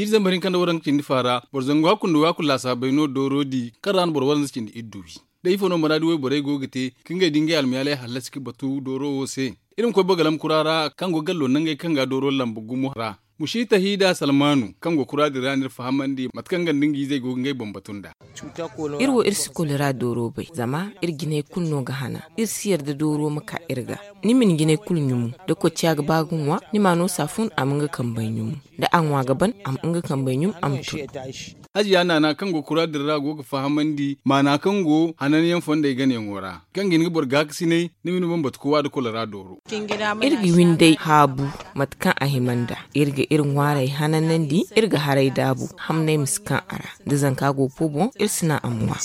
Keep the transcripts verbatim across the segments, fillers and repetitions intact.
Iri zambar hinka nda waranka cindi fa ra boro zangu hakku nda waakul laasaabey no dooro di kaŋ ra no boro waranza cindi iddu wi. Da ifo no muraadi wayborey go ga te ka ngey da ngey almiyaaley hallasi ka batu dooro wo se. Iri ma koy bagalam kura ra kaŋ go gallo nangey kaŋ ga dooro lamba gumo ra. Mushi tahida salmanu kaŋ go kura din ra no iri fahamandi mate kaŋ nga nda nga izey go ga ngey boŋ batu nd'a. Iri wo iri si kolera dooro bay zama iri jinay kulu no ga hana. Iri si yarda dooro ma ka iri ga. Ni ma ni jinay kulu ɲumu da kocciya ga ba ga ŋwa, ni ma no saafun a ma nga kambey ɲumu. Da a ŋwa ga ban a ma nga kambey ɲum a ma tun. Hajiya naana kaŋ go kura din ra go ga fahamandi maana kaŋ go hananyaŋ fondey ganayaŋo ra, kaŋ ga hin ga boro gaakasinay ni ma ni boŋ batu ka wa da kolera dooro. Iri ga windey haabu mate kaŋ a hima nd'a. Iri ga iri ŋwaarey hananandi. Iri ga haray daabu hamney ma si kaŋ a ra. Da zanka go po boŋ iri si naŋ a ma ŋwa.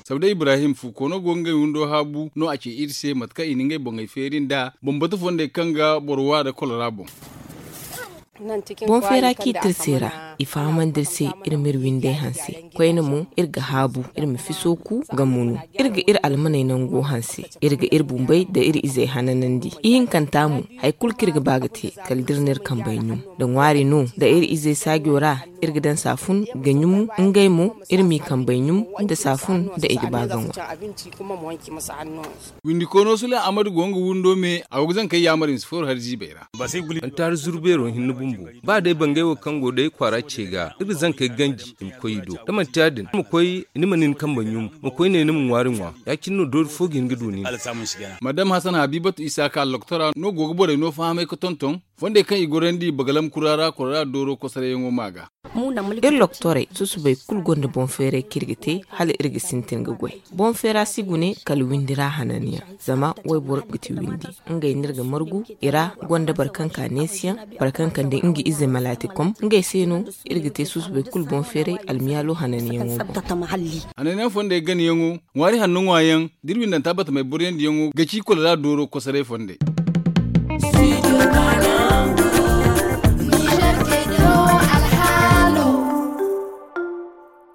Sabda ibrahim fu koono go ga ngey windo haabu no a ce iri se mate kaŋ i na ngey boŋey feeri nd'a boŋ batu fondey kaŋ ga boro wa da kolera boŋ. Boŋ feera ciiti iri se ra. I fahamandi iri se iri ma iri windey hanse. Koyne mo iri ga haabu iri ma fiso ku ga munu. Iri ga iri almaney nango hanse. Iri ga iri bumbey nda iri izey hananandi. Ihinkanta mo hari kulu kaŋ iri ga ba ga te kala da iri na iri kambey ɲum. Da ŋwaari no nda iri izey saajo ra iri ga daŋ saafun ga ɲumu. Ngey mo iri m'i kambey ɲum nda saafun nda i ga ba ga ŋwa. Windi koono sule ahmadu go nga windo me a go ga zankey yaamar i ma si fooru hari ziibey ra. Manti hari zuru beero hinne bumbo ba day bangay wo kaŋ go day kwaara ce ga iri ga zankey ganji i ma koy i do da manti ya- din ni ma koy ni ma nin kambe ɲum ma koy ne ni ma ŋwaari ŋwa. Ya- cine no doori fo ga hin ga du nin. Madam hasan habibatu isaaka alloktora no go ga borey no fahamay ga tonton fondey kaŋ i gorandi bagalam kura ra kora ra dooro kosarayyaŋo ma ga. Iri loktorey susubey kulu gonda boŋ feeray kaŋ iri ga te hala iri ga sintin ga goy. Boŋ feera si gune kala windi ra hananyaŋ. Zama wayboro ga ti windi. Ngey no iri ga margu i ra gonda boro kaŋ ka neesiyaŋ, boro kaŋ kande nga ize malaati kom ngey se no. Iri ga te susubey kulu boŋ feeray almiyaalo hananyaŋo boŋ. Hananyaŋ fondey ganayaŋo ŋwaari hanno ŋwaayaŋ da iri windanta batamey boroyandiyaŋo ga ci kula da dooro kosoray fondey.